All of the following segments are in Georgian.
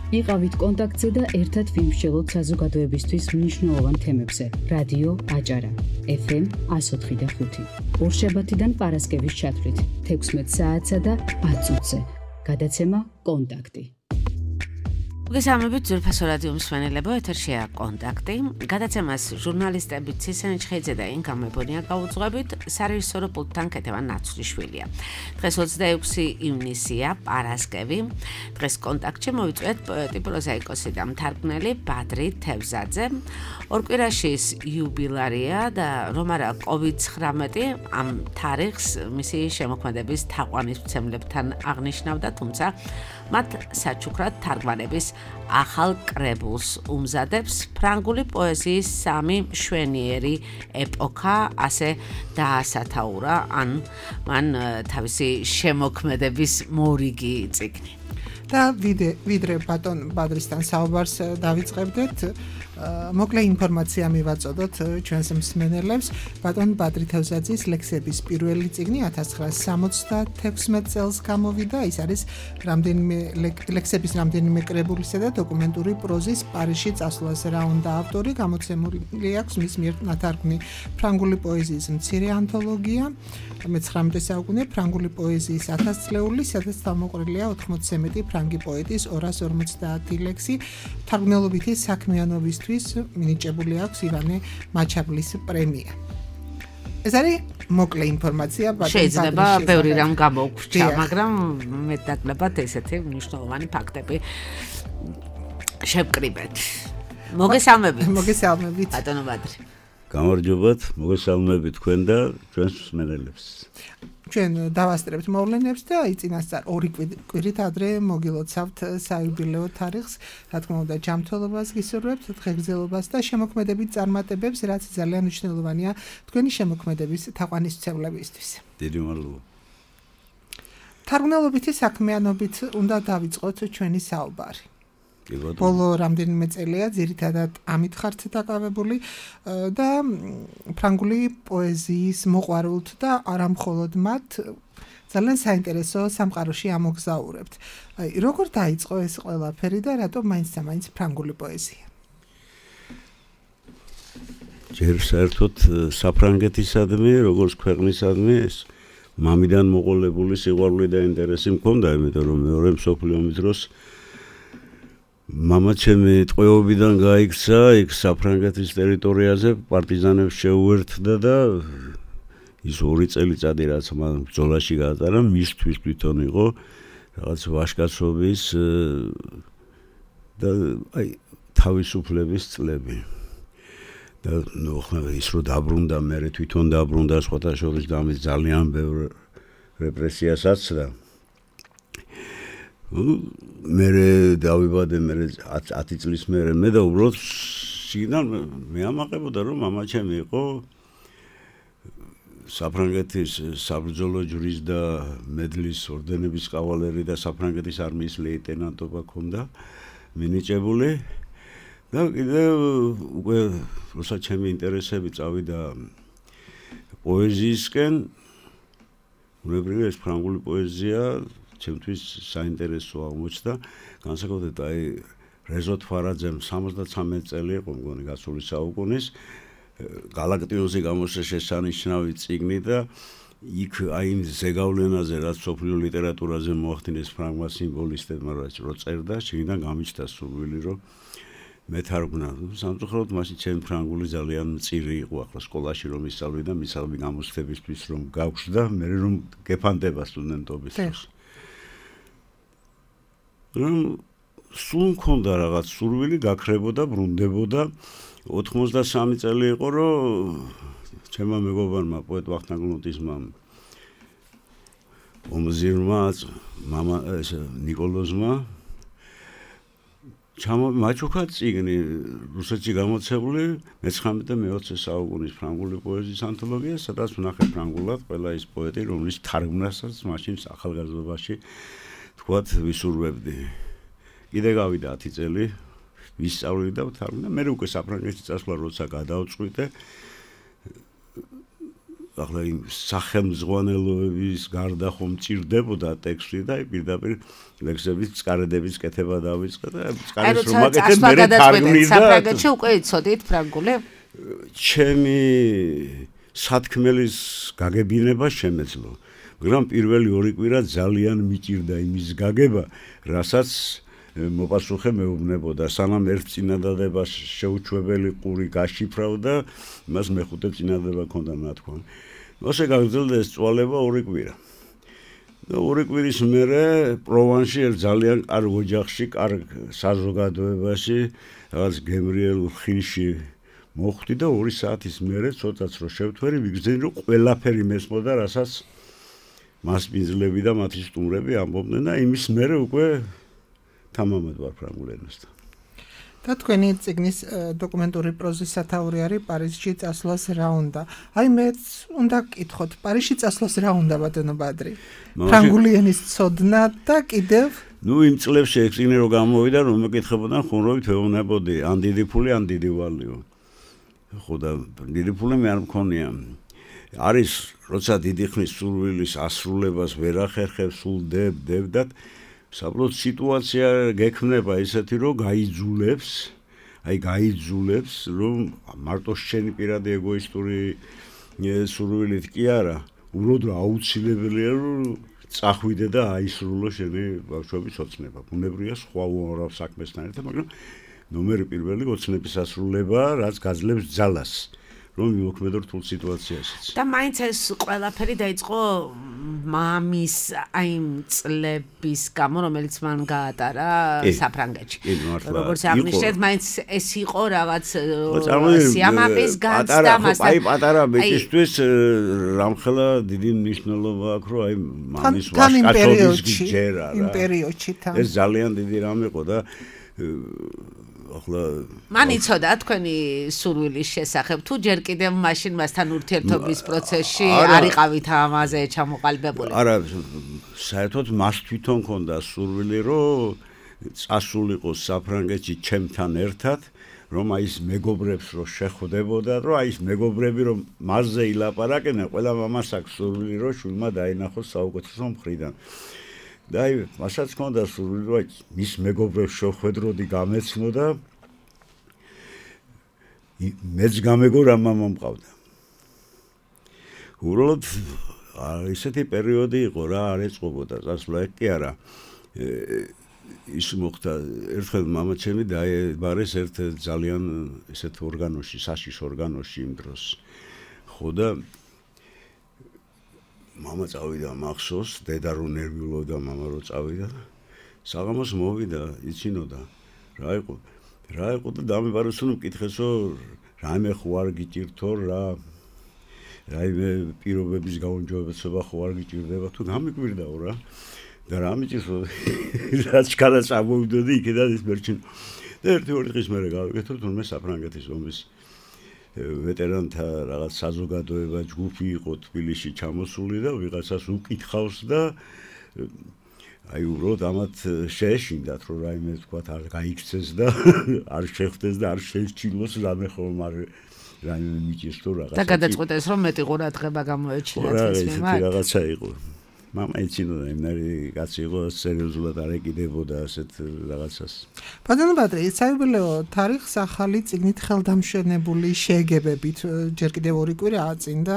იყავით კონტაქტზე და ერთად ვიმსჯელოთ საზოგადოებისთვის მნიშვნელოვან თემებზე. რადიო აჭარა, FM 104.5. ორშაბათიდან პარასკევის ჩათვლით 16 საათსა და 10 წუთზე. გადაცემა კონტაქტი. მოგესალმებით ძვირფასო რადიო მსმენელებო, ეთერშია კონტაქტი. გადაცემას ჟურნალისტები ცისენ ჩხეიძე და ინგა მებონია გაუძღვებით, სარეჟისორო პულტთან ქეთევან ნაცვლიშვილია. დღეს 26 ივნისია, პარასკევი. დღეს კონტაქტში მოვიწვიეთ პოეტი, პროზაიკოსი და მთარგმნელი ბადრი თევზაძე. ორკვირაში იუბილარია და რომ არა COVID-19 ამ თარიღს მისი შემოქმედების თაყვანისმცემლებთან აღნიშნავდა, თუმცა მათ საჩუქრად თარგმანების ახალ კრებულს უმზადებს ფრანგული პოეზიის სამი მშვენიერი ეპოქა, ასე დაასათაურა ან მან თავისი შემოქმედების მორიგი წიგნი. და ვიდრე ბატონ ბადრისთან საუბარს დავიწყებდეთ, მოკლე ინფორმაცია მივაწოდოთ ჩვენს მსმენელებს. ბატონ ბადრი თევზაძის ლექსების პირველი წიგნი 1976 წელს გამოვიდა. ის არის ლექსების რამდენიმე კრებულისა და დოკუმენტური პროზის პარიზში წასვლას რა უნდა ავტორი. გამოცემული აქვს მის მიერ ნათარგმნი ფრანგული პოეზიის მცირე ანთოლოგია, მე-19 საუკუნე ფრანგული პოეზიის 1000 წლეული, სადაც თავმოყრილია 91 ფრანგი პოეტის 250 ლექსი. თარგმნელობითი საქმიანობისთვის მინიჭებული აქვს ივანე მაჩაბლის პრემია. ეს არის მოკლე ინფორმაცია. შეიძლება ბევრი რამ გამოვგვჭა, მაგრამ მეტნაკლებად ესეთი მნიშვნელოვანი ფაქტები შევკრიბეთ. მოგესალმებით ბატონო ბადრი. გამარჯობათ, მოგესალმებით თქვენ და ჩვენს მსმენელებს. ჩვენ დავასწრებთ მოვლენებს და წინასწარ 2 კვირით ადრე მოგილოცავთ საიუბილეო თარიღს. რა თქმა უნდა, ჯანმრთელობას გისურვებთ, დღეგრძელობას და შემოქმედებით წარმატებებს, რაც ძალიან მნიშვნელოვანია თქვენი შემოქმედების თაყვანისმცემლებისთვის. დიდი მადლობა. თარგმნელობითი საქმიანობით უნდა დავიწყოთ ჩვენი საუბარი. ბოლო რამდენიმე წელია ძირითადად ამით ხართ დაკავებული და ფრანგული პოეზიის მოყვარულთ და არა მხოლოდ მათ ძალიან საინტერესო სამყაროში ამოგზაურებთ. როგორ დაიწყო ეს ყველაფერი და რატომ მაინც ფრანგული პოეზია? ჯერ საერთოდ საფრანგეთისადმი, როგორც ქვეყნისადმი ეს მამიდან მოყოლებული სიყვარული და ინტერესი მქონდა, იმიტომ რომ მეორე მსოფლიო ომის დროს მამა ჩემი ტყვეობიდან გაიქცა იქ საფრანგეთის ტერიტორიაზე, პარტიზანებს შეუერთდა და ის 2 წელიწადი რაც მან ბრძოლაში გაატარა, მისთვის თვითონ იყო რაღაც ვაჟკაცობის და თავისუფლების წლები. და ის რო დაბრუნდა, მე თვითონ დაბრუნდა სხვათა შორის და ამის ძალიან ბევრ რეპრესიას აცდა. მერე დავიბადე, მერე 10 წლის მერე მე და უბრალოდ სიგნალ მე ამაყებოდა რომ მამა ჩემი იყო საფრანგეთის საბრძოლო ჯვრის და მედლის ორდენების კავალერი და საფრანგეთის არმიის ლეიტენანტობა ჰქონდა მინიჭებული და კიდევ უკვე როცა ჩემი ინტერესები წავიდა პოეზიისკენ, უნებრივია ეს ფრანგული პოეზია ჩემთვის საინტერესო აღმოჩნდა. განსაკუთრებით რეზო თვარაძემ 73 წელი იყო მგონი გასული საუკუნის გალაქტიოზი გამოსცა შესანიშნავი წიგნი და იქ იმ ზეგავლენაზე რაც სოფლიო ლიტერატურაზე მოახდინეს ფრანგმა სიმბოლისტებმა რო წერდა, შიგნიდან გამიჩნდა სურვილი რომ მეთარგმნა. სამწუხაროდ მაშინ ჩემი ფრანგული ძალიან მწირი იყო, ახლა სკოლაში რომ ისწავლი და მისაღები გამოცდებისთვის რომ გავხსდა, მე რომ გეფანტება სტუდენტობის დროს. რომ სულ მქონდა რაღაც სურვილი, გაქრებოდა, ბრუნდებოდა. 83 წელი იყო, რომ ჩემმა მეგობარმა პოეტ ვახტანგ გლუნტისმა ომზირმა მამა ნიკოლოზმა მაჩუქა წიგნი რუსეთში გამოცებული მე-19 და მე-20 საუკუნის ფრანგული პოეზიის ანთოლოგია, სადაც ვნახე ფრანგულად ყველა ის პოეტი, რომლის თარგმნასაც მაშინ ახალგაზრდობაში თქვათ ვისურვებდი. კიდე გავიდა 10 წელი, ვისწავლი და ვთარგმნა. მე უკვე საფრანგეთში წასვლა როცა გადავწყვიტე, ახლა იმ სახელმძღვანელოების გარდა ხომ მჭირდებოდა ტექსტი და პირდაპირ ლექსების წყარედების კეთება დავიწყე და წყარეს რომ აკეთებ მე თარგმნი და საფრანგეთში უკვე იცოდით ფრანგული? ჩემი სათქმელის გაგებინება შემეძლო. მაგრამ პირველი 2 კვირა ძალიან მიჭირდა იმის გაგება, რასაც მოპასუხე მეუბნებოდა, სანამ ერთ წინადადებას შეუჩვეველი ყური გაშიფრავდა, მას მეხუთე წინადადება ჰქონდა ნათქვამი. ასე გაგრძელდა ეს წვალება 2 კვირა. და 2 კვირის მერე პროვანსში ერთ ძალიან კარგ ოჯახში, კარგ საზოგადოებაში, რაღაც გემრიელ ხილში მოხვდი და 2 საათის მერე ცოტაც რო შევთვერი, ვიგრძენი რომ ყველაფერი მესმოდა, რასაც მასპინძლები და მათი სტუმრები ამბობდნენ და იმის მერე უკვე თამამად ვარ ფრანგულ ენასთან. და თქვენი წიგნის დოკუმენტური პროზის სათაური არის პარიზში წასვლას რა უნდა. აი მეც უნდა გკითხოთ, პარიზში წასვლას რა უნდა ბატონო ბადრი? ფრანგული ენის ცოდნა და კიდევ იმ წლებში ეს წიგნი რო გამოვიდა, რომ მეკითხებოდან ხუმრობით ვეუბნებოდი, ან დიდი ფული, ან დიდი ვალიო. ხო და დიდი ფული მე არ მქონია. არის როცა დიდი ხნის სურვილის ასრულებას ვერ ახერხებს, სულ დებდათ საბოლოოდ სიტუაცია გექმნება ისეთი რომ გაიძულებს რომ მარტო შენი პირადი ეგოისტური სურვილით კი არა უბრალოდ აუცილებელია რომ წახვიდე და აისრულო შენი ბავშვების ოცნება ბუნებრივია სხვა უამრავ საქმესთან ერთად მაგრამ ნომერი პირველი ოცნების ასრულება რაც გაძლევს ძალას რომ მიმოქმედო რთულ სიტუაციაშიც. და მაინც ეს ყველაფერი დაიწყო მამის აი წლების გამო, რომელიც მან გაატარა საფრანგეთში. როგორც აღნიშნეთ, მაინც ეს იყო რაღაც სიამაყის განცდა მასთან. აი პატარა ბიჭისთვის რამხელა დიდი მნიშვნელობა აქვს, რომ აი მამის ვაჟკაცობის გიჯერა რა. იმ პერიოდში თან. ეს ძალიან დიდი რამ იყო და ახლა მან იცოდა თქვენი სურვილის შესახებ თუ ჯერ კიდევ მაშინ მასთან ურთიერთობის პროცესში არ იყავით ამაზე ჩამოყალიბებული? არა, საერთოდ მას თვითონ ჰქონდა სურვილი, რომ წასულიყო საფრანგეთში ჩემთან ერთად, რომ აი ეს მეგობრებს რო შეხვდებოდა, რომ აი ეს მეგობრები რომ მასზე ილაპარაკენენ, ყველა მამას აქვს სურვილი, რომ შვილმა დაინახოს საუკეთესო მხრიდან. და აი მასაც ჰქონდა სურვილი რომ მის მეგობრებს შეხვედროდი გამეცნო და მეც გამეგო რა მამა მყავდა. უბრალოდ ისეთი პერიოდი იყო რა არ ეწყობოდა წასვლა კი არა ის მოხდა ერთხელ მამა ჩემი დაიბარეს ერთ ძალიან ესეთ ორგანოში საშიშ ორგანოში იმ დროს ხო და მამა წავიდა მახსოვს, დედა რო ნერვიულობდა, მამა რო წავიდა. საღამოს მოვიდა, იცინოდა. რა იყო და დამებარეს რომ მკითხესო, რაიმე ხო არ გიჭირთო რა. რაიმე პირობების გაუმჯობესება ხო არ გიჭირდება თუ გამიკვირდაო რა. და რა მიჭირთო, რაც კადა წამოვიდოდი იქიდან ის მერჩინ. და ერთი-ორი დღის მერე გავიკეთე, თუმცა საფრანგეთის ომის ვეტერანთა რაღაც საზოგადოება ჯგუფი იყო თბილისში ჩამოსული და ვიღაცას უკითხავს და აი უბრალოდ ამათ შეეშინდათ რომ რაიმე თქვა არ გაიქცეს და არ შეხვდეს და არ შეჩილოს რამე ხომ არ რაიმე მიჭირს თუ რაღაცა და გადაწყვეტეს რომ მეტი ყურადღება გამოეჩინათ ეს მიმართ რაღაცა იყო მამა იცინოდა იმერი კაცი იყო სერიოზულად არ ეკიდებოდა ასეთ რაღაცას. ბატონო ბადრი, საიუბილეო თარიღს ახალი წიგნით ხელდამშვენებული შეეგებებით ჯერ კიდევ 2 კვირა აწინდა.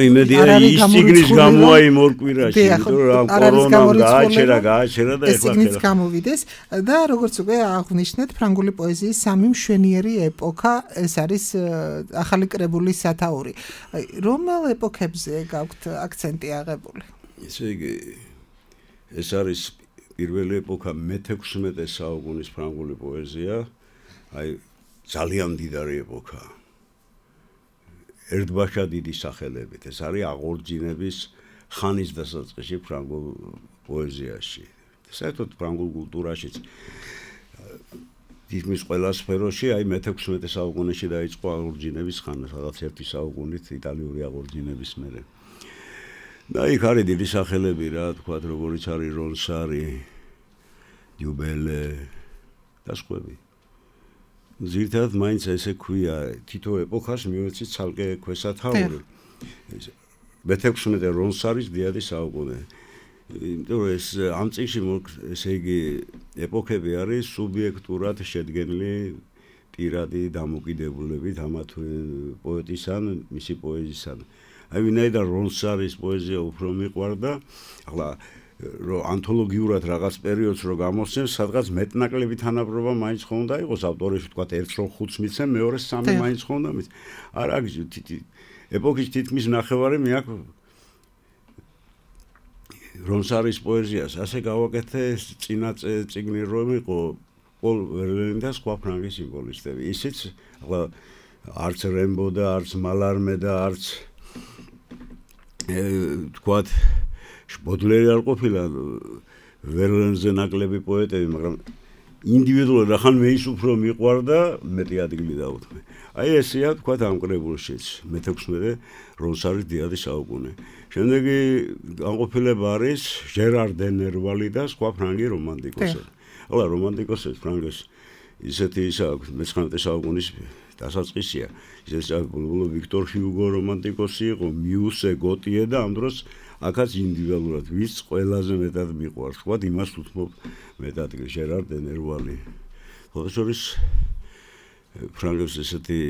იმედი არის ის წიგნის გამოა იმ 2 კვირაში, იმიტომ რომ კორონამ გააჩერა და ეს წიგნიც გამოვიდეს და როგორც უკვე აღნიშნეთ, ფრანგული პოეზიის სამი მშვენიერი ეპოქა, ეს არის ახალი კრებული სათაური. რომელ ეპოქებზე გაქვთ აქცენტი აღებული? ესე იგი ეს არის პირველი ეპოქა მე-16 საუკუნის ფრანგული პოეზია, აი ძალიან მდიდარი ეპოქა. ერთბაშა დიდი სახელებით, ეს არის აღორძინების ხანის დასაწყისში ფრანგულ პოეზიაში. საერთოდ ფრანგულ კულტურაშიც თითქმის ყველა სფეროში აი მე-16 საუკუნეში დაიწყო აღორძინების ხანა, სადაც ერთი საუკუნით იტალიური აღორძინების მერე. და იქ არის დიდი სახელები რა, თქვათ როგორიც არის რონსარი, დიუბელე და სხვები. ზირთად მაინც ესე ქვია თითო ეპოქას მივეცით ცალკე ქვესათაური მე-16 რონსარის დიადი საუკუნე იმიტომ რომ ეს ამ წიგნში ესე იგი ეპოქები არის სუბიექტურად შედგენილი პირადი დამოკიდებულებით ამა თუ პოეტისან მისი პოეზიისან აი ვინაიდან რონსარის პოეზია უფრო მიყვარდა ახლა რომ ანთოლოგიურად რაღაც პერიოდს რო გამოსცემს, სადღაც მეტნაკლები თანაბრობა მაინც ხონდა იყოს ავტორებში, თქვა ერთს რო 5 მიცემ, მეორეს 3 მაინც ხონდა მის. არა, ეპოქის თითქმის ნახევარი მე აქ რონსარის პოეზიას ასე გავაკეთე წინა წიგნი რომ იყო პოლ ვერლენი და სხვა ფრანგი სიმბოლისტები. ისიც ახლა არც რემბო და არც მალარმე და არც თქვა ბოდლერი არ ყოფილა ვერლენზე ნაკლები პოეტები, მაგრამ ინდივიდუალურად ახან მე ის უფრო მიყვარდა მეტი ადგილი დაუთმე. აი ესეა თქვა ამ კრებულშიც მე-16 რონსარის დიადი საუკუნე. შემდეგი განყოფილება არის ჟერარ დე ნერვალი და სხვა ფრანგი რომანტიკოსები. ახლა რომანტიკოსებს ფრანგებს ისეთი ისა აქვს მე-19 საუკუნის დასაწყისია. ისეთი ბულბულ ვიქტორ ჰიუგო რომანტიკოსი იყო, მიუსე გოტიე და ამ დროს აქაც ინდივიდუალურად ვის ყველაზე მეტად მიყვარს, თქვა იმას უთმობ მეტად ჟერარ დე ნერვალი. ხოთაშორის ფრანგებს ესეთი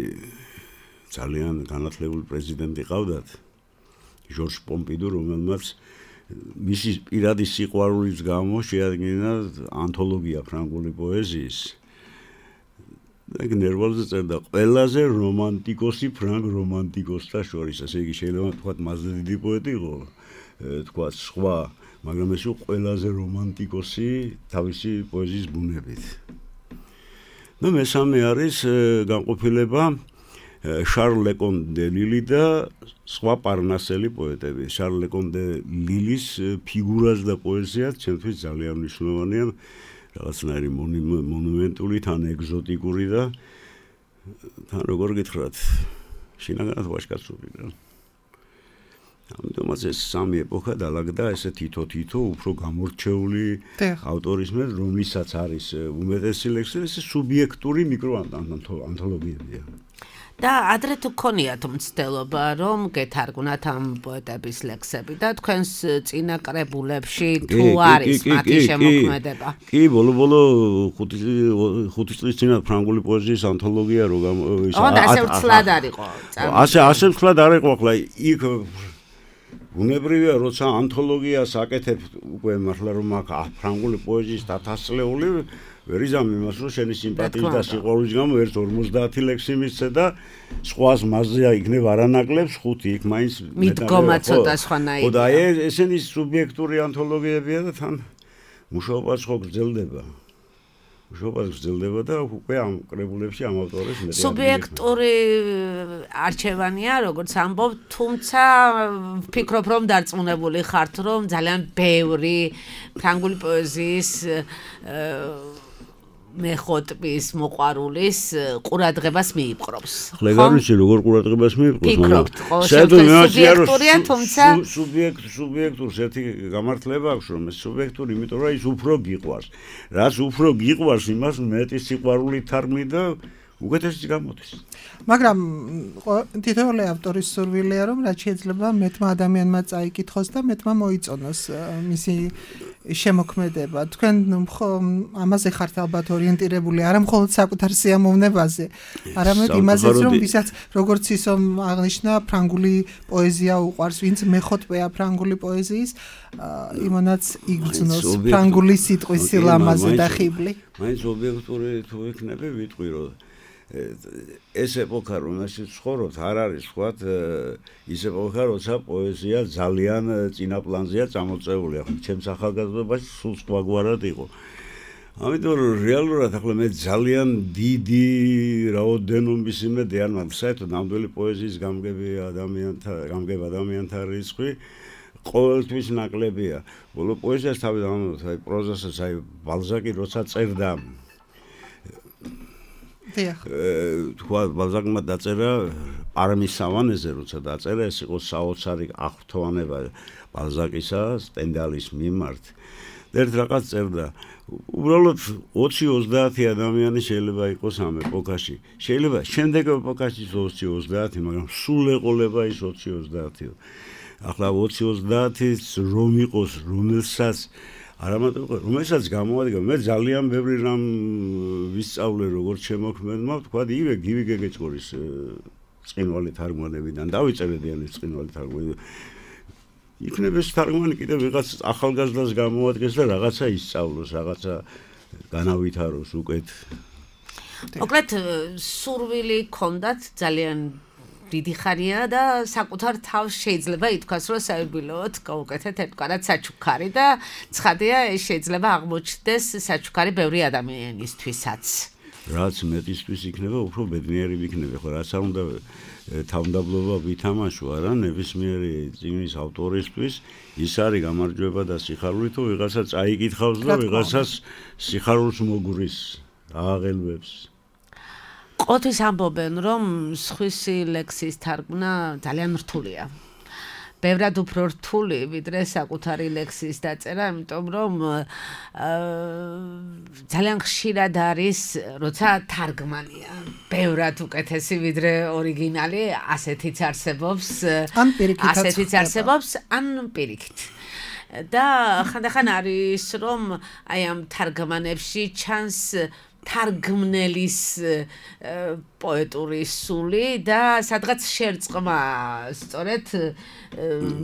ძალიან განათლებული პრეზიდენტი ყავდათ, ჟორჟ პომპიდუ, რომელმაც მისი პირადი სიყვარულის გამო შეადგინა ანთოლოგია ფრანგული პოეზიის. და ნერვალზე წერდა ყველაზე რომანტიკოსი ფრანგ რომანტიკოსთა შორის, ასე იგი შეიძლება თქვა მასზე დიდი პოეტი იყო. თქვა სხვა, მაგრამ ეს იყო ყველაზე რომანტიკოსი თავისი პოეზიის ბუნებით. და მესამე არის განყოფილება შარლ ლეკონ დე ლილი და სხვა პარნასელი პოეტები. შარლ ლეკონ დე ლილის ფიგურაც და პოეზიაც ჩემთვის ძალიან მნიშვნელოვანია, რაღაცნაირი მონუმენტური, თან ეგზოტიკური და თან როგორ გითხრათ, შინაგანად ვაჟკაცობი რა. ამიტომაც ეს სამი ეპოქა დაალაგდა ესე თითო უფრო გამორჩეული ავტორის მიერ, რომლისაც არის უმეტესი ლექსი, ეს სუბიექტური მიკროანთოლოგიებია. და ადრე თუ გქონიათ მცდელობა, რომ გეთარგმნათ ამ პოეტების ლექსები და თქვენს წინა კრებულებში თუ არის მათი შემოქმედება? კი, ბოლო 5 წლის წინა ფრანგული პოეზიის ანთოლოგია რო ასე ვცლად არისო. ასე ვცლად არ იყო, ახლა იქ უნებრივია, როცა ანთოლოგიას აკეთებ უკვე მართლა რომ აქ ფრანგული პოეზიის დათასლეული ვერ იზამ იმას, რომ შენი სიმპათიის და სიყვარულის გამო ერთ 50 ლექსი მისცე და სხვას მასზეა იქნებ არანაკლებს 5 იქ მაინც მიდგომა ცოტა სხვანაირია. ხო და ესენი სუბიექტური ანთოლოგიებია და თან მუშაობაც ხო გრძელდება. და უკვე ამ კრებულებში ამ ავტორებს მეტი სუბიექტური არჩევანია, როგორც ამბობ, თუმცა ვფიქრობ, რომ დარწმუნებული ხართ, რომ ძალიან ბევრი ფრანგული პოეზიის მეხოტბის მოყვარულის ყურადღებას მიიპყრობს. ხო, გაგიჩი როგორ ყურადღებას მიიპყრობს, სუბიექტურია, თუმცა სუბიექტურს ერთი გამართლება აქვს, რომ ეს სუბიექტური, იმიტომ რომ ის უფრო გიყვარს. რაც უფრო გიყვარს, იმას მეტი სიყვარული თარგმნი და უკეთესი გამოდის. მაგრამ თითოეული ავტორის სურვილია, რომ რაც შეიძლება მეტმა ადამიანმა წაიკითხოს და მეტმა მოიწონოს მისი შემოქმედება. თქვენ ამაზე ხართ ალბათ ორიენტირებული, არა მხოლოდ საკუთარ სიამოვნებაზე, არამედ იმაზეც, რომ ვისაც როგორც ისო აღნიშნა, ფრანგული პოეზია უყვარს, ვინც მეხოტბეა ფრანგული პოეზიის, იმანაც იგრძნოს ფრანგული სიტყვის სილამაზე და ხიბლი. მაინც ობიექტური თუ იქნები, ვიტყვი რომ ეს ეპოქა რომელშიც ცხოვრობთ არ არის თქვათ ის ეპოქა როცა პოეზია ძალიან წინა პლანზეა წამოწეული ახლა ჩემს ახალგაზრდობაში სულ სხვაგვარად იყო ამიტომ რეალურად ახლა მე ძალიან დიდი რაოდენობის იმედი არ მაქვს საერთოდ ნამდვილი პოეზიის გამგებ ადამიანთა რიცხვი ყოველთვის ნაკლებია ბოლო პოეზიას თავიდან აი პროზასაც აი ბალზაკი როცა წერდა თქვა ბალზაკმა დაწერა პარმის სავანეზე როცა დაწერა ეს იყო საოცარი აღფრთოვანება ბალზაკისა სტენდალის მიმართ და ერთ რაღაც წერდა უბრალოდ 20-30 ადამიანი შეიძლება იყოს ამ ეპოქაში შეიძლება შემდეგ ეპოქაში 20-30 მაგრამ სულ ეყოლება ის 20-30 ახლა 20-30-ის რომ იყოს რომელსაც რომელსაც გამოადგა მე ძალიან ბევრი რამ ვისწავლე როგორც შემოქმედმა თქვა ივე გივი გეგეჭკორის წინვალი თარგმანებიდან დავიწერედიანი წინვალი თარგმანი იქნება ეს თარგმანი კიდევ ვიღაც ახალგაზრდას გამოადგეს და რაღაცა ისწავლოს, რაღაცა განავითაროს უკეთ. მოკლედ სურვილი ჰქონდათ ძალიან დიდი ხანია და საკუთარ თავს შეიძლება ითქვას, რომ საერთოდ გაუკეთეთ ერთგვარად საჩუქარი და ცხადია ეს შეიძლება აღმოჩნდეს საჩუქარი ბევრი ადამიანისთვისაც. რაც მეტისთვის იქნება, უფრო ბედნიერი ვიქნები, ხო რაც არ უნდა თავმდაბლობა ვითამაშო არა ნებისმიერი წიგნის ავტორისთვის ის არის გამარჯვება და სიხარული თუ ვიღაცა წაიკითხავს და ვიღაცას სიხარულს მოგურის აღელვებს ყოთის ამბობენ რომ სხვისი ლექსის თარგმნა ძალიან რთულია ბევრად უფრო რთული ვიდრე საკუთარი ლექსის დაწერა იმიტომ რომ ძალიან ხშირად არის როცა თარგმანია ბევრად უკეთესი ვიდრე ორიგინალი ასეთიც არსებობს ან პირიქით და ხანდახან არის რომ აი ამ თარგმანებში ჩანს თარგმნელის პოეტური სული და სადღაც შერწყმა სწორედ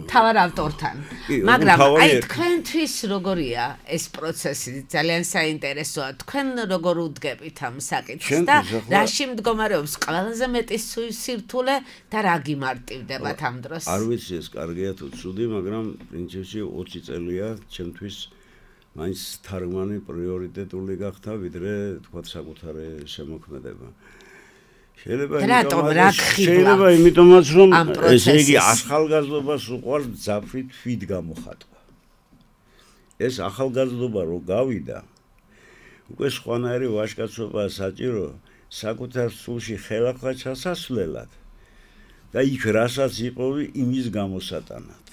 თავარ ავტორთან მაგრამ აი თქვენთვის როგორია ეს პროცესი ძალიან საინტერესოა თქვენ როგორ უდგებით ამ საკითხს და რაში მდგომარეობს ყველაზე მეტი სირთულე და რა გიმარტივდებათ ამ დროს არ ვიცი ეს კარგია თუ ცუდი მაგრამ პრინციპში 20 წელია ჩემთვის მაინც თარგმანი პრიორიტეტული გახდა ვიდრე თქვა საკუთარი შემოქმედება შეიძლება იმიტომაც რომ ესე იგი ახალგაზრდობას უყვარს ძაფრი თვით გამოხატვა ეს ახალგაზრდობა რო გავიდა უკვე სხვანაირი ვაჟკაცობაა საჭირო საკუთარ სულში ხელახლა ჩასასვლელად და იქ რასაც იპოვი იმის გამოსატანად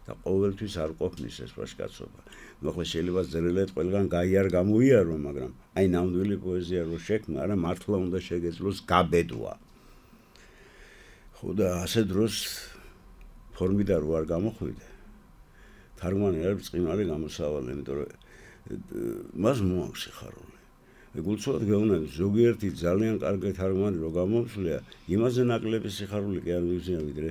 და ყოველთვის არ ყოფნის ეს ვაჟკაცობა მოხლა შეიძლება წერილად ყველგან გაიარ გამოიარო მაგრამ აი ნამდვილი პოეზია რო შექმნა არა მართლა უნდა შეგეძლოს გაბედვა ხო და ასე დროს ფორმიდან რო არ გამოხვიდე თარგმანი არის წყინვალე გამოსავალი იმიტომ რომ მას მოაქვს სიხარული ეგულწოდ გეუბნები ზოგიერთი ძალიან კარგი თარგმანი რო გამომსვლია იმაზე ნაკლები სიხარული კი არ მივზია ვიდრე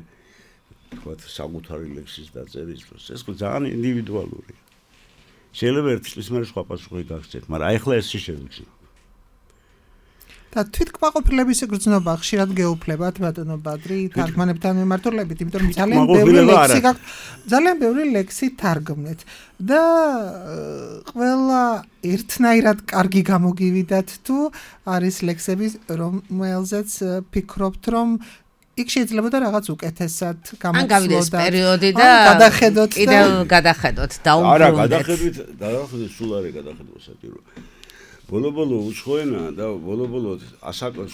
თქვათ საკუთარი ლექსის დაწერის დროს ეს ძალიან ინდივიდუალურია შეიძლება ერთი წლის მერე სხვა პასუხი გაგცეთ მაგრამ ახლა ეს შევიქცნო და თვითკმაყოფილების გრძნობა ხშირად გეუფლებათ ბატონო ბადრი თარგმანებთან მიმართულებით იმიტომ რომ ძალიან ბევრი ლექსი თარგმნეთ და ყველა ერთნაირად კარგი გამოგივიდათ თუ არის ლექსები რომელზეც ფიქრობთ რომ იქ შეიძლება და რაღაც უკეთესად გამოცვლოთ. ან გავიდეს პერიოდი და კიდევ გადახედოთ და უბრუნდეთ. არა, გადახედვით სულ არის გადახედვა საჭირო. ბოლო-ბოლო უცხოენა და ბოლო-ბოლო ასაკოს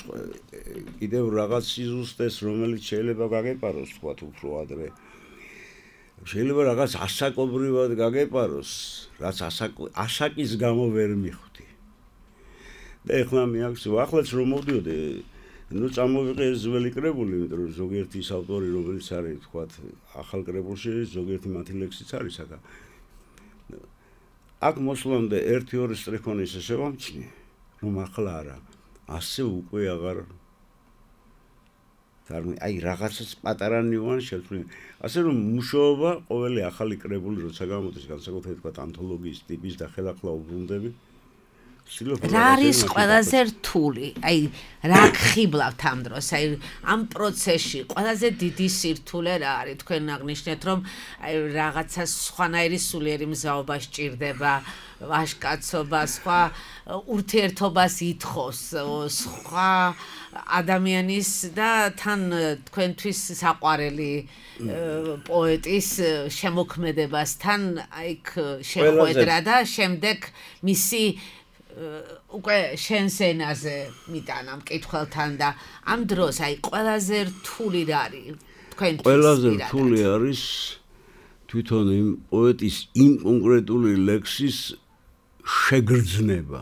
კიდევ რაღაც სიზუსტეს რომელიც შეიძლება გაგეპაროს თქვათ უფრო ადრე. შეიძლება რაღაც ასაკობრივად გაგეპაროს, რაც ასაკის გამო ვერ მიხვდი. და ეხლა მე აქ ახლაც რომ მოვდიოდი ну წამოვიყე ეს ძველი კრებული, იმიტომ რომ ზოგიერთი ის ავტორი, რომელიც არის, თქვათ, ახალ კრებულში, ზოგიერთი მათი ლექსიც არის აქ. აქ მოსვლამდე 1-2 სტრიქონი ისე შევამჩნი, რომ ახლა არა, ასე უკვე აღარ აი რაღაცას პატარა ნიუანსი შეცვლი. ასე რომ მუშაობა ყოველი ახალი კრებული როცა გამოდის, განსაკუთრებით თქვათ ანთოლოგიის ტიპის და ხელახლა უბრუნდები რა არის ყველაზე რთული? აი რა გხიბლავთ ამ დროს? აი ამ პროცესში ყველაზე დიდი სირთულე რა არის? თქვენ აღნიშნეთ რომ აი რაღაცა სხვანაირი სულიერი მზაობა სჭირდება, ვაჟკაცობა, სხვა ურთიერთობას ითხოვს, სხვა ადამიანის და თან თქვენთვის საყვარელი პოეტის შემოქმედებასთან აი შეხვედრა და შემდეგ მისი უკვე შენს ენაზე მიტანა მკითხველთან და ამ დროს აი ყველაზე რთული რა არის თქვენთვის? ყველაზე რთული არის თვითონ იმ პოეტის იმ კონკრეტული ლექსის შეგრძნება,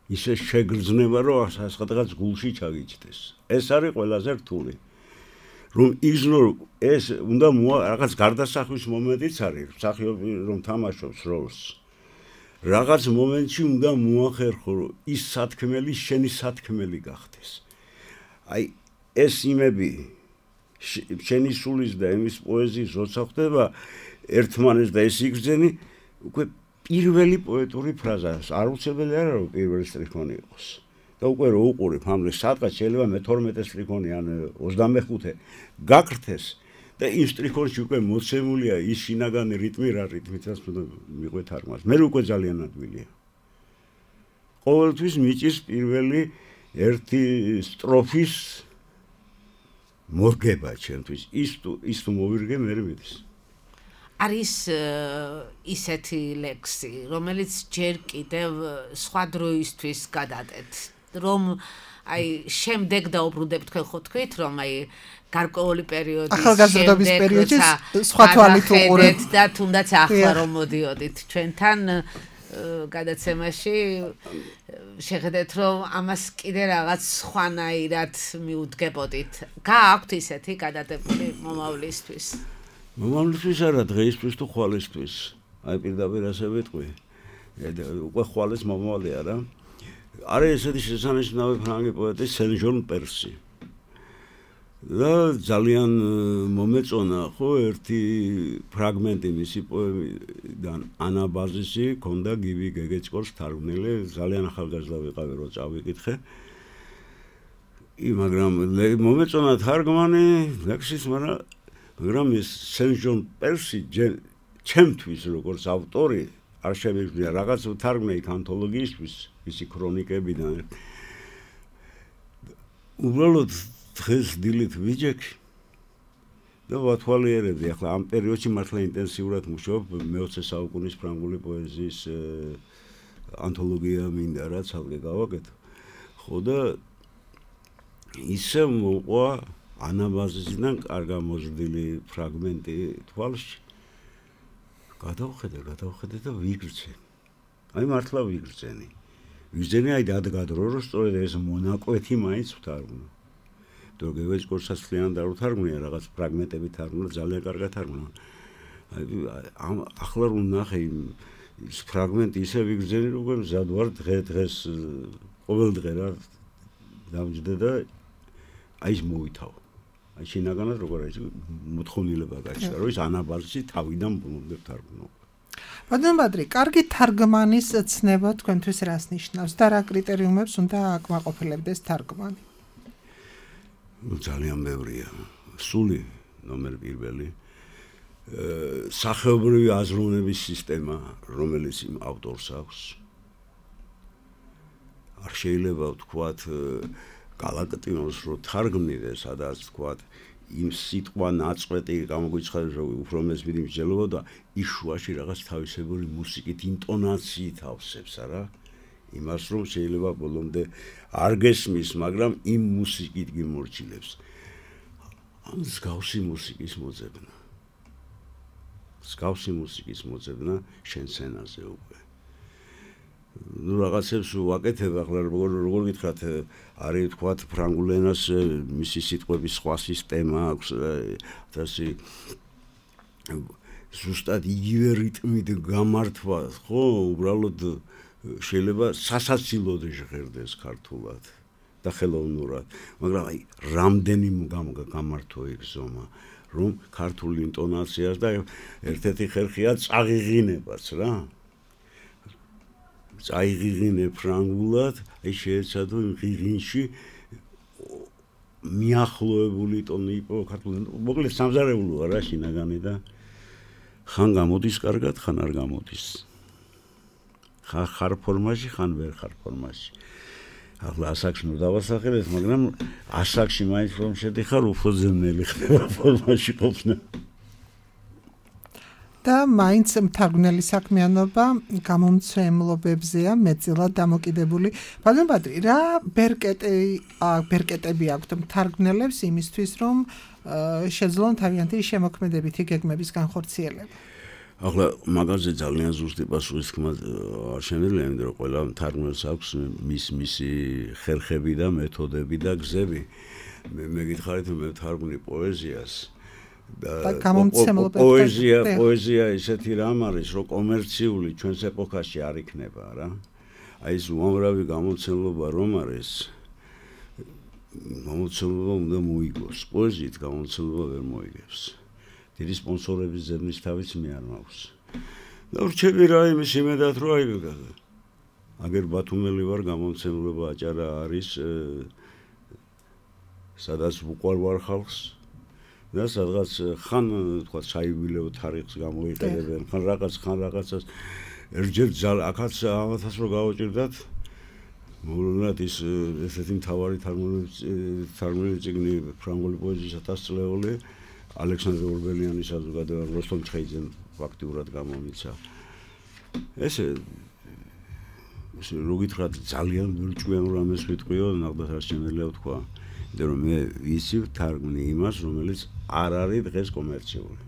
ისე შეგრძნება, რომ სადღაც გულში ჩაგიჭდეს. ეს არის ყველაზე რთული. რომ იგზნორ ეს უნდა რაღაც გარდასახვის მომენტიც არის, მსახიობი რომ თამაშობს როლს. რაღაც მომენტში უნდა მოახერხო, რომ ის სათქმელი შენი სათქმელი გახდეს. აი ეს იმები შენი სულის და იმის პოეზიის როცა ხდება ერთმანეთს და ეს იგრძენი უკვე პირველი პოეტური ფრაზა არ უცებელი არა რომ პირველი სტრიქონი იყოს და უკვე რო უყურებ ამის სადღაც შეიძლება მე-12 სტრიქონი ან 25 გაკრთეს და იმ სტრიქონში უკვე მოცემულია ის შინაგანი რიტმი რა რიტმითაც უნდა მიყვე თარგმანს მე უკვე ძალიან ადვილია ყოველთვის მიჭის პირველი ერთი სტროფის მორგება ჩემთვის ის თუ მოვირგე მე მიდის არის ისეთი ლექსი რომელიც ჯერ კიდევ სხვა დროისთვის გადადეთ რომ აი შემდეგ დაუბრუნდებ თქვენ ხო თქვით რომ აი გარკვეული პერიოდის ახალგაზრდობის პერიოდში სხვა თვალით უყურებთ და თუნდაც ახლა რომ მოდიოდით ჩვენთან გადაცემაში შეხედეთ რომ ამას კიდე რაღაც სხვანაირად მიუდგებოდით გააქვთ ისეთი გადადებული მომავლისთვის მომავლისთვის არა დღეისთვის თუ ხვალისთვის აი პირდაპირ ასე ვიტყვი უკვე ხვალის მომავალი არა არის ესეთი შესანიშნავი ფრანგი პოეტი სენ-ჟონ პერსი და ძალიან მომეწონა ხო ერთი ფრაგმენტი მისი პოემიდან ანაბაზისი ქონდა გივი გეგეჭკორს თარგმნილი ძალიან ახალგაზრდა ვიყავი რომ წავიკითხე მაგრამ მომეწონა თარგმანი ლექსის მაგრამ ეს სენ-ჟონ პერსი ჩემთვის როგორც ავტორი არ შემიძლია რაღაც თარგმნე იქ ანთოლოგიისთვის მისი ქრონიკებიდან უბრალოდ დღეს დილით ვიჯექი და ვათვალიერებდი ახლა ამ პერიოდში მართლა ინტენსიურად მუშაობ მე-20 საუკუნის ფრანგული პოეზიის ანთოლოგია მინდა რა ცალკე გავაკეთო ხო და ისე მოყვა ანაბაზისიდან კარგა მოზრდილი ფრაგმენტი თვალში გადავხედე და ვიგრძე აი მართლა ვიგრძენი აი დადგადრო რომ სწორედ ეს მონაკვეთი მაინც ვთარგმნო თუ გეგეჭკორსასწლიან და ვთარგმნია რაღაც ფრაგმენტები თარგმნა ძალიან კარგად თარგმნა აი ახლა რომ ნახე ის ფრაგმენტი ისე ვიგრძენი რომ მზად ვარ დღეს ყოველ დღე რა დავჯდე და აი ის მოვითავ აი შინაგანად როგორ არის მოთხოვნილება გაჩნდა რომ ის ანაბაზისი თავიდან ბოლომდე თარგმნო ბატონ ბადრი კარგი თარგმანის ცნება თქვენთვის რას ნიშნავს და რა კრიტერიუმებს უნდა აკმაყოფილებდეს თარგმანი ძალიან ბევრია სული ნომერ პირველი სახეობრივი აზროვნების სისტემა რომელიც იმ ავტორს აქვს არ შეიძლება ვთქვათ გალაქტიონს რო თარგმნიდე სადაც ვთქვათ იმ სიტყვა ნაწყვეტი გამოგვიცხადეს რომ უფრო მესმიდი მსჯელობა და ის შუაში რაღაც თავისებური მუსიკით ინტონაციით ავსებს არა იმას რომ შეიძლება ბოლომდე არ გესმის მაგრამ იმ მუსიკით გიმორჩილებს ამ მსგავსი მუსიკის მოძებნა შენ სცენაზე უკვე ну რაღაცებს ვაკეთებ ახლა როგორ გითხრათ არის თქვათ ფრანგულ ენას მისი სიტყვების სხვა სისტემა აქვს ასე ზუსტად იგივე რიტმით გამართვა ხო უბრალოდ შეიძლება სასაცილოდ ჟღერდეს ქართულად და ხელოვნურად მაგრამ აი რამდენი გამართო იგზომა რომ ქართული ინტონაციას და ერთ-ერთი ხერხია წაღიღინებაც რა წაიღიღინე ფრანგულად აი შეეცადო იმ ღიღინში მიახლოებული ტონი იყო ქართულად მოკლედ სამზარეულოა რა შინაგანი და ხან გამოდის კარგად ხან არ გამოდის ხარ ფორმაში ხან ვერ ხარ ფორმაში ახლა ასაკში ნუ დავასახელეთ მაგრამ ასაკში მაინც რომ შედიხარ უფრო ძნელი ხდება ფორმაში ყოფნა და მაინც მთარგმნელი საქმიანობა გამომცემლობებზეა მეტწილად დამოკიდებული. ბატონ ბადრი, რა ბერკეტები აქვთ მთარგმნელებს იმისთვის, რომ შეძლონ თავიანთი შემოქმედებითი გეგმების განხორციელება? ახლა მაგაზე ძალიან ზუსტი პასუხის თქმა არ შემიძლია, იმიტომ რომ ყველა მთარგმნელს აქვს მისი ხერხები და მეთოდები და გზები. მე გითხარით, რომ მე ვთარგმნი პოეზიას და პოეზია ისეთი რამ არის, რომ კომერციული ჩვენს ეპოქაში არ იქნება რა. აი ეს უამრავი გამოცემულობა რომ არის, გამოცემულობა უნდა მოიგოს. პოეზიით გამოცემულობა ვერ მოიგებს. დიდი სპონსორების ზემნის თავიც მე არ მაქვს. და ვრჩები რა იმის იმედად, რომ აი აგერ ბათუმელი ვარ, გამოცემულობა აჭარა არის, სადაც უყარვარ ხალხს და სადღაც ხან თქვა საიუბილეო თარიღს გამოიყენებენ, ხან რაღაცას ერთჯერ აქაც ამათაც რო გავაჭირდათ, მოულოდნელად ის ესეთი მთავარი თარგმნილი წიგნი ფრანგული პოეზიის 1000 წლეული ალექსანდრე ორბელიანის საზოგადოება როსტომ ჩხეიძემ ფაქტიურად გამომიცა. ესე რო გითხრათ ძალიან ბრჭყვიან რამეს ვიტყვიო, ნახდათ არ შემიძლია ვთქვა. იმიტომ რომ მე ისი ვთარგმნი იმას, რომელიც არ არის დღეს კომერციული.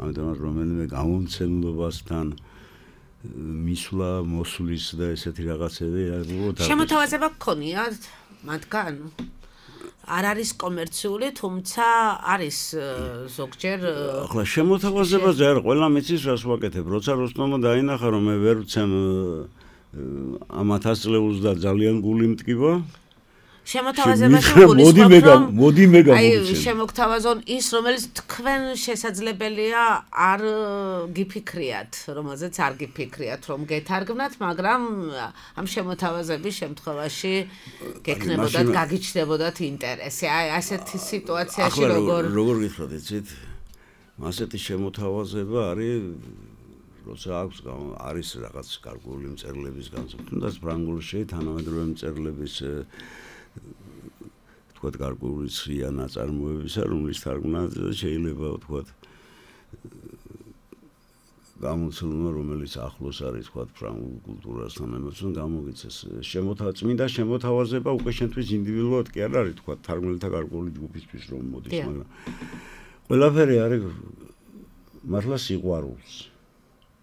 ამიტომაც რომელიმე გამომცემლობასთან მისვლა, მოსვლის და ესეთი რაღაცები შემოთავაზება გქონიათ მათგან? არ არის კომერციული, თუმცა არის ზოგჯერ ახლა შემოთავაზებაზე არ ყველა მიცის რას ვაკეთებ, როცა როსტომო დაინახა რომ მე ვერ ვცემ ამ 1000 წლეულს და ძალიან გული მტკივა შემოთავაზებაში მოდი მე გამოვიცემ. შემოგთავაზონ ის, რომელიც თქვენ შესაძლებელია არ გიფიქრიათ, რომელზეც არ გიფიქრიათ, რომ გეთარგმნათ, მაგრამ ამ შემოთავაზების შემთხვევაში გექნებოდათ, გაგიჩნდებოდათ ინტერესი. აი ასეთი სიტუაციაში როგორ გითხრათ, იცით? ასეთი შემოთავაზება როცა არის რაღაც კარგული მწერლების განსაკუთრებით, თუნდაც ფრანგულში თანამედროვე მწერლების თქვათ გარკვეული ცრია ნაწარმოებისა, რომლის თარგმნაც შეიძლება თქვათ გამოცემულობა, რომელიც ახლოს არის თქვათ ფრანგულ კულტურასთან, ამასთან გამოგიცეს. წმინდა შემოთავაზება უკვე შენთვის ინდივიდუალურად კი არ არის თქვათ თარგმნელთა გარკვეული ჯგუფისთვის რომ მოდის, მაგრამ ყველაფერი არის მართლა სიყვარულს.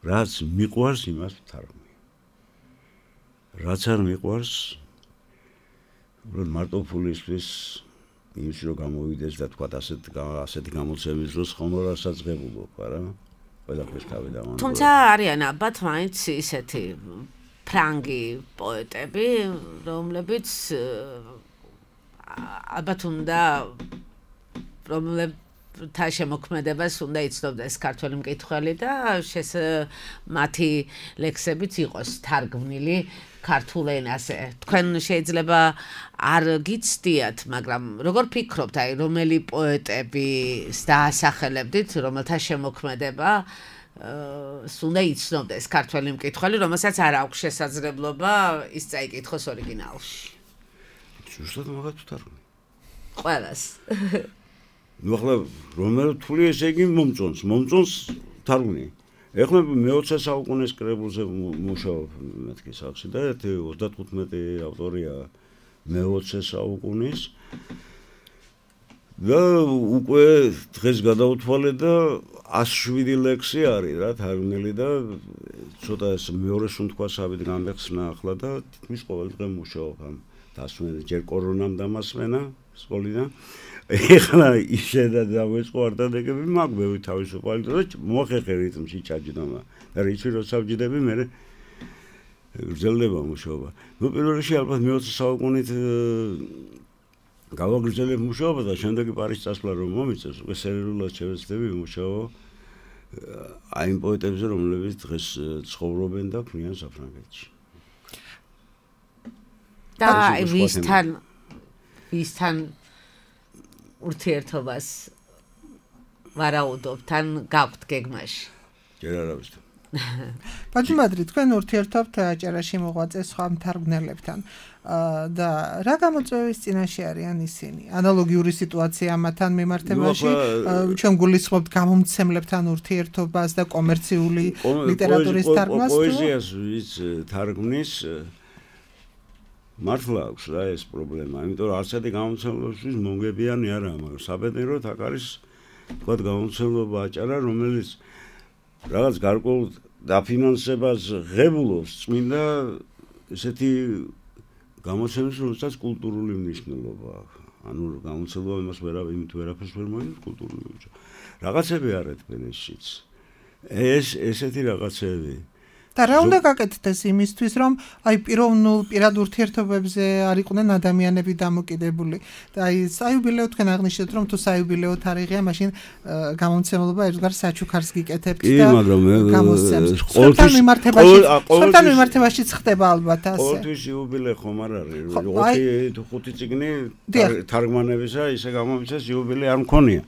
რაც მიყვარს, იმას ვთარგმნი. რაც არ მიყვარს, მარტო ფულისთვის იმის რომ გამოვიდეს და თქვა ასეთი გამოცემის დროს ხომ არ სასაძღებულობ, არა? ყველაფერს თავი დავანებო. თუმცა არიან ალბათ მაინც ისეთი ფრანგი პოეტები, რომლებიც ალბათ უნდა რომლებთა შემოქმედებას უნდა იცნობდეს ქართველი მკითხველი და მათი ლექსებიც იყოს თარგმნილი ქართულ ენაზე. თქვენ შეიძლება არ გიცდიათ, მაგრამ როგორ ფიქრობთ, აი რომელი პოეტების დაასახელებდით, რომელთა შემოქმედება უნდა იცნობდეს ქართველი მკითხველი, რომელსაც არ აქვს შესაძლებლობა ის წაიკითხოს ორიგინალში. ზუსტად მაგათ ვთარგმნი. ყველას. ნუ ახლა რომელ რთული ესე იგი მომწონს თარგმნი. ეხლა მე-20 საუკუნის კრებულზე მუშაობ მეთქი სახში და 35 ავტორია მე-20 საუკუნის და უკვე დღეს გადავთვალე და 107 ლექსი არის რა თარგმნილი და ცოტა ეს მეორე სუნთქვა საბით გამეხსნა ახლა და თითქმის ყოველ დღე მუშაობ ამ დასვენად ჯერ კორონამ დამასვენა სკოლიდან ეხლა ისე და დავეწყო არტადეკები მაგ მე თავისუფალი და მოხერხე რიტმში ჩაჯდომა და რიცი რო საბჯდები მე გრძელდება მუშაობა. ნუ პირველ რიგში ალბათ მე-20 საუკუნით გავაგრძელებ მუშაობა და შემდეგ პარიზს წასვლა რომ მომიწევს, უკვე სერიოზულად შევეცდები მუშაობა აი იმ პოეტებზე, რომლებიც დღეს ცხოვრობენ და ქმნიან საფრანგეთში. და ვისთან ურთიერთობას ვარაუდობთ ან გაქვთ გეგმაში? ჯერ არავისთან. ბატონბადრი, თქვენ ურთიერთობთ აჭარაში მოღვაწე სხვა მთარგმნელებთან და რა გამოწვევის წინაშე არიან ისინი? ანალოგიური სიტუაცია ამათთან მიმართებაში ჩვენ გულისხმობთ გამომცემლებთან ურთიერთობას და კომერციული ლიტერატურის თარგმნას? პოეზიას ვის თარგმნის მართლა აქვს რა ეს პრობლემა, იმიტომ რომ არცეთი გამომცემლობისთვის მონგებიანი არაა, მაგრამ საბედნიეროდ აქ არის თქვათ გამომცემლობა აჭარა, რომელიც რაღაც გარკვეულ დაფინანსებას ღებულობს წმინდა ესეთი გამოცემის, რომელსაც კულტურული მნიშვნელობა აქვს. ანუ გამოცემობა იმას ვერაფერს ვერ მოიგებს კულტურული უჯა. რაღაცები არ ეთქვენ ესიც. ესეთი რაღაცები. და რა უნდა გაკეთდეს იმისთვის, რომ აი პირად ურთიერთობებზე არ იყვნენ ადამიანები დამოკიდებული. და აი საიუბილეო თქვენ აღნიშნეთ, რომ თუ საიუბილეო თარიღია, მაშინ გამომცემლობა ერთგვარ საჩუქარს გიკეთებთ და გამოსცემს. სხვათან მიმართებაშიც ხდება ალბათ ასე. ყოველთვის იუბილე ხომ არ არის. 5 წიგნი თარგმანებისა ისე გამომიცეს იუბილე არ მქონია.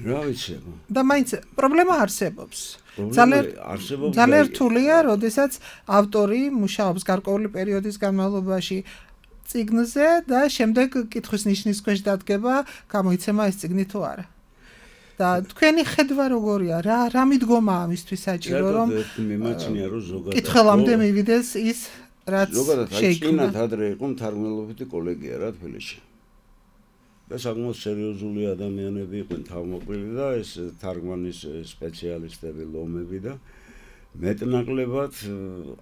რა ვიცი. და მაინც პრობლემა არსებობს. ძალიან რთულია, როდესაც ავტორი მუშაობს გარკვეული პერიოდის განმავლობაში წიგნზე და შემდეგ კითხვის ნიშნის ქვეშ დადგება, გამოიცემა ეს წიგნი თუ არა. და თქვენი ხედვა როგორია? რა მიდგომა ამისთვის საჭირო, რომ მიმაჩნია, რომ ზოგადად კითხველამდე მივიდეს ის, რაც შეიქმნა. ზოგადად ადრე იყო მთარგმნელობითი კოლეგია რა თბილისში. და საკმაოდ სერიოზული ადამიანები იყვნენ თავმოყრილი და ეს თარგმანის სპეციალისტები, ლომები და მეტნაკლებად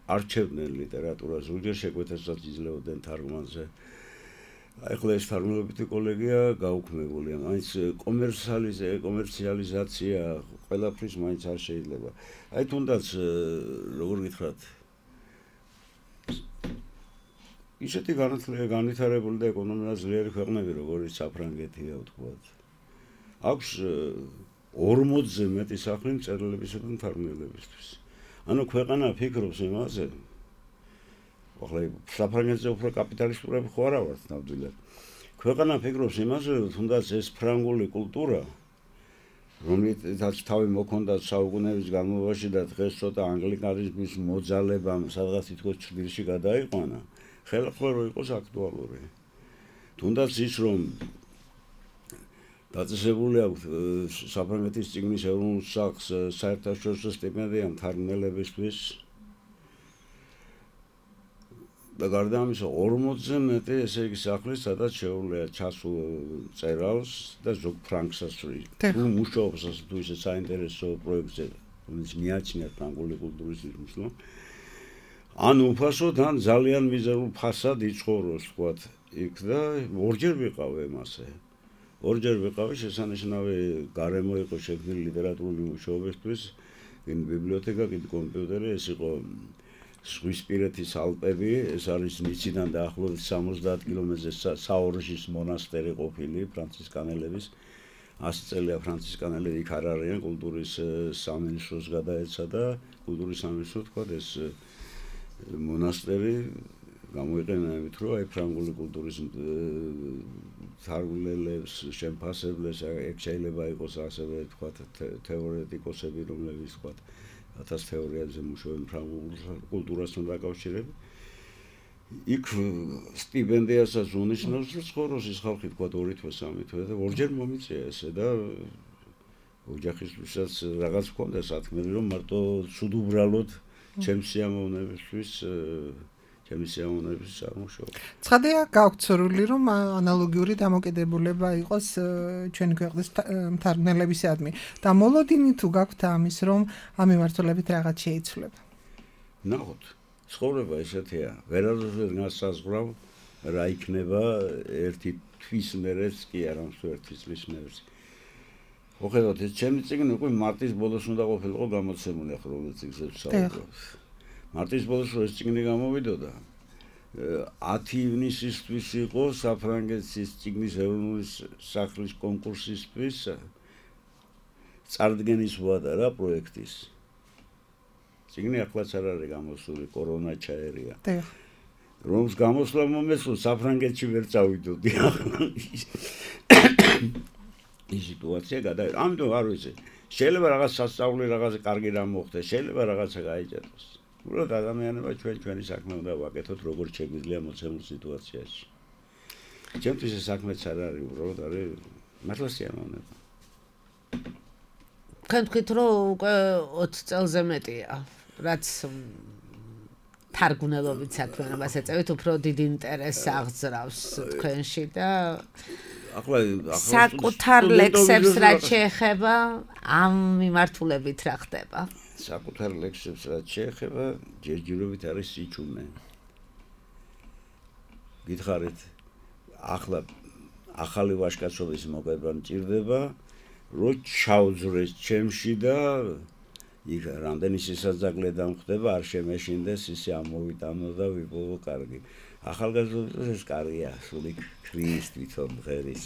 არჩევდნენ ლიტერატურას, ზოგჯერ შეკვეთასაც იძლეოდნენ თარგმანზე. ახლა ეს თარგმნელობითი კოლეგია გაუქმებულია, მაინც კომერციალიზაცია ყველაფრის მაინც არ შეიძლება. აი თუნდაც როგორ გითხრათ, ისეთი განვითარებული და ეკონომიკურად ძლიერი ქვეყნები, როგორიც საფრანგეთია, ვთქვათ. აქვს 40-ზე მეტი სახლი მწერლებისა და მთარგმნელებისთვის. ანუ ქვეყანა ფიქრობს იმაზე, ახლა საფრანგეთზე უფრო კაპიტალისტურები ხო არა ვართ ნამდვილად. ქვეყანა ფიქრობს იმაზე, რომ თუნდაც ეს ფრანგული კულტურა, რომელსაც თავი მოქონდა საუკუნეების განმავლობაში და დღეს ცოტა ანგლიკანიზმის მოძალებამ სადღაც თითქოს ჩრდილში გადაიყვანა. ხელახლა რო იყოს აქტუალური. თუნდაც ის რომ დაწესებული აქვს საფრანგეთის წიგნის ეროვნულ სახლს საერთაშორისო სტიპენდია მთარგმნელებისთვის და გარდა ამისა 40-ზე მეტი ესე იგი სახლი, სადაც შეუძლია ჩასულ წერალს და ზოგ ფრანგსაც თუ მუშაობს ასე თუ ისე საინტერესო პროექტზე, რომელიც მიაჩნია ფრანგული კულტურის მნიშვნელობას. ან უფასოდ, ან ძალიან მიზერულ ფასად იცხოვროს, ვთქვათ, იქ და ორჯერ ვიყავ მასე. ორჯერ ვიყავი, შესანიშნავი გარემო იყო შექმნილი ლიტერატურული მუშაობისთვის, იმ ბიბლიოთეკა, კიდე კომპიუტერი, ეს იყო ზღვისპირეთის ალპები, ეს არის ნიციდან დაახლოებით 70 კილომეტრზე საორჟის მონასტერი ყოფილი ფრანცისკანელების. 100 წელია ფრანცისკანელები იქ არ არიან, კულტურის სამინისტროს გადაეცა და კულტურის სამინისტრო, ვთქვათ, ეს მონასტერი გამოიყენა იმით, რომ აი ფრანგული კულტურის თარგმნელებს, შემფასებლებს, ეგ შეიძლება იყოს ასევე, ვთქვათ, თეორეტიკოსები, რომლებიც, ვთქვათ, 1000 თეორიაზე მუშაობენ ფრანგულ კულტურასთან დაკავშირებით. იქ სტიპენდიასაც უნიშნავს, რომ ცხოვრობს ის ხალხი, ვთქვათ, 2 თვე, 3 თვე და ორჯერ მომიწია ესე და ოჯახისთვისაც რაღაც ჰქონდა სათქმელი, რომ მარტო ცუდ უბრალოდ ჩემი სიამოვნებისთვის წარმოშობა. ცხადია, გაქვთ სურვილი, რომ ანალოგიური დამოკიდებულება იყოს ჩვენი ქვეყნის მთარგმნელებისადმი. და მოლოდინი თუ გაქვთ ამის, რომ ამ მიმართულებით რაღაც შეიცვლება. ნახოთ, ცხოვრება ესეთია, ვერასდროს განსაზღვრავ რა იქნება ერთი თვის მერეც კი არა, მსუ ერთი წლის მერეც. მოხედავთ, ეს ჩემი წიგნი უკვე მარტის ბოლოს უნდა ყოფილიყო გამოცემული, ახლა რომელიც წიგნზე ვსაუბრობ. მარტის ბოლოს ეს წიგნი გამოვიდოდა. 10 ივნისისთვის იყო საფრანგეთის წიგნის ეროვნული სახლის კონკურსისთვის წარდგენის ვადა რა პროექტის. წიგნი ახლაც არ არის გამოსული, კორონა ჩაერია. რომს გამოსვლა მომეცო საფრანგეთში ვერ წავიდოდი ახლა. ის სიტუაცია გადაიღო. ამიტომ არ ვიცი. შეიძლება რაღაც სასწაული, რაღაც კარგი რამ მოხდეს, შეიძლება რაღაცა გაიჭეროს. უბრალოდ ადამიანებმა ჩვენი საქმე უნდა ვაკეთოთ, როგორც შეგვიძლია მოცემულ სიტუაციაში. ჩემთვის ეს საქმეც არ არის, უბრალოდ არის მართლა სიამოვნება. თქვენ თქვით, რომ უკვე 20 წელზე მეტია, რაც თარგმნელობით საქმიანობას ეწევით, უფრო დიდ ინტერესს აღძრავს თქვენში და საკუთარ ლექსებს რაც შეეხება ამ მიმართულებით რა ხდება? საკუთარ ლექსებს რაც შეეხება ჯერჯერობით არის სიჩუმე. გითხარით ახლა ახალი ვაჟკაცობის მოგება მჭირდება რომ ჩავძრეს ჩემში და იქ რამდენი სისაძაგლე დამხდება არ შემეშინდეს ისე ამოვიტანო და ვიპოვო კარგი. ახალგაზრდობის ეს კარგია, სული ქრის თვითონ ღერის.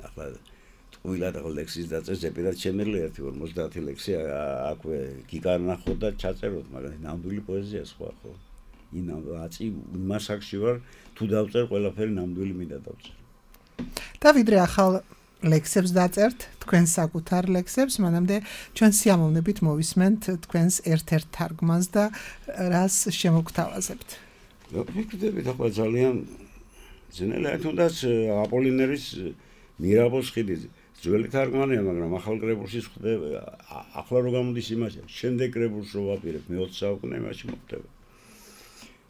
ახლა ტყუილად ლექსის დაწერს ზეპირად შემერლი 1-50 ლექსი აქვე გიგანახო და ჩაწეროთ, მაგრამ ნამდვილი პოეზია სხვა ხო. აწი იმას აქში ვარ, თუ დავწერ ყველაფერი ნამდვილი მინდა დავწერ. და ვიდრე ახალ ლექსებს დაწერთ, თქვენ საკუთარ ლექსებს, მანამდე ჩვენ სიამოვნებით მოვისმენთ თქვენს ერთ-ერთ თარგმანს და რას შემოგთავაზებთ. ვფიქრდებით ახლა ძალიან ძნელია თუნდაც აპოლინერის მირაბოს ხიდი ძველი თარგმანია, მაგრამ ახალ კრებულში ხდება. ახლა რო გამოდის იმაში, შემდეგ კრებულს რო ვაპირებ, მე-20 საუკუნე იმაში მოხდება.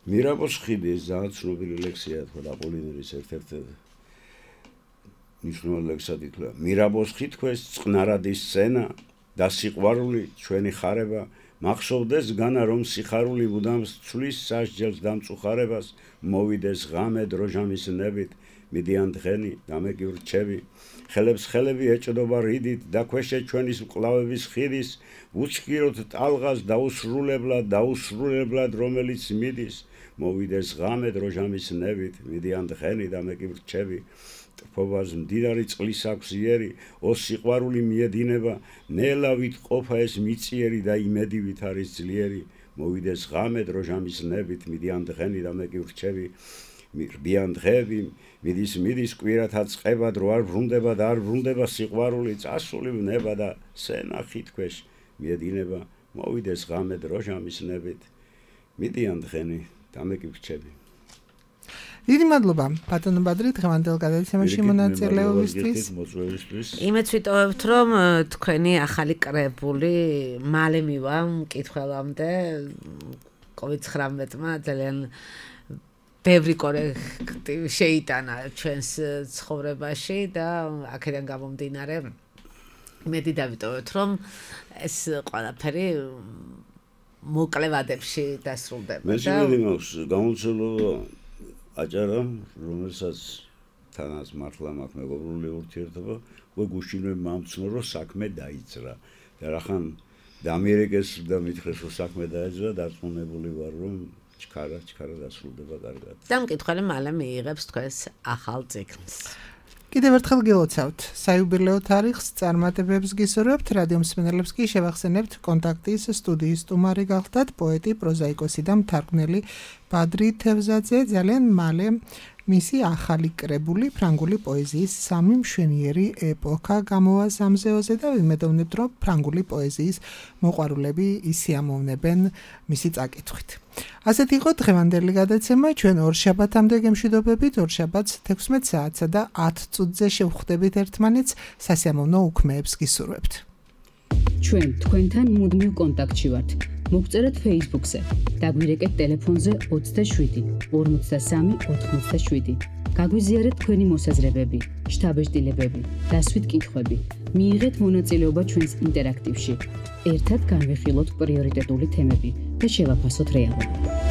მირაბოს ხიდი ძალიან ცნობილი ლექსია, თქო აპოლინერის ერთ-ერთი მნიშვნელოვანი ლექსად ითვლება. მირაბოს ხითქვეს წყნარადის სცენა და სიყვარული ჩვენი ხარება მახსოვდეს განა რომ სიხარული მუდამ ცვლის სასჯელს დამწუხარებას მოვიდეს ღამე დროჟამის ნებით მიდიან დღენი დამეკი ვრჩები ხელებს ხელები ეჭდობა რიდით და ქვეშე ჩვენის მკლავების ხიდის უჩქიროთ ტალღას დაუსრულებლად რომელიც მიდის მოვიდეს ღამე დროჟამის ნებით მიდიან დღენი დამეკი ვრჩები ფოვას მდიდარი წყლის აქვს იერი, ო სიყვარული მიედინება, ნელავით ყოფა ეს მიწიერი და იმედივით არის ძლიერი, მოვიდეს ღამე დროჟამის ნებით, მიდიან დღენი და მე კი ვრჩები, მირბიან დღეები, მიდის კვირათა წყება, დრო არ ბრუნდება და არ ბრუნდება სიყვარული, წასული ნება და სენახი თქვეშ მიედინება, მოვიდეს ღამე დროჟამის ნებით, მიდიან დღენი და მე კი ვრჩები. დიდი მადლობა ბატონო ბადრი დღევანდელ გადაცემაში მონაწილეობისთვის. იმეც ვიტოვებთ რომ თქვენი ახალი კრებული მალე მივა მკითხველამდე COVID-19-მა ძალიან ბევრი კორექტივი შეიტანა ჩვენს ცხოვრებაში და აქედან გამომდინარე იმედი დავიტოვებთ რომ ეს ყველაფერი მოკლე ვადებში დასრულდება. მე შემიძლია მაქვს გამოცდილება აჭარა, რომელსაც თანაც მართლა მაქვს მეგობრული ურთიერთობა, უკვე გუშინვე მომცნო რომ საქმე დაიძრა. და რახან დამიერეკეს და მითხრეს რომ საქმე დაიძრა, დარწმუნებული ვარ რომ ჩქარა დასრულდება კარგად. და მკითხველი მალე მიიღებს თქვენს ახალ ციკლს. კიდევ ერთხელ გილოცავთ საიუბილეო თარიღს წარმატებებს გისურვებთ, რადიო მსმენელებს კი შევახსენებთ კონტაქტის სტუდიის სტუმარი გახდათ პოეტი, პროზაიკოსი და მთარგმნელი ბადრი თევზაძე. ძალიან მალე მისი ახალი კრებული ფრანგული პოეზიის სამი მშვენიერი ეპოქა გამოვა სამზეოზე და ვიმედოვნებთ რომ ფრანგული პოეზიის მოყვარულები ისიამოვნებენ მისი წაკითხვით. ასეთი იყო დღევანდელი გადაცემა. ჩვენ ორშაბათამდე გემშვიდობებით, ორშაბათს 16 საათსა და 10 წუთზე შევხვდებით ერთმანეთს, სასიამოვნო უქმეებს გისურვებთ. ჩვენ თქვენთან მუდმივ კონტაქტში ვართ. მოგწერეთ Facebook-ზე, დაგვირეკეთ ტელეფონზე 27 53 87. გაგვიზიარეთ თქვენი მოსაზრებები, შთაბეჭდილებები, დასვით კითხვები. მიიღეთ მონაწილეობა ჩვენს ინტერაქტივში. ერთად განვიხილოთ პრიორიტეტული თემები და შევაფასოთ რეალობა.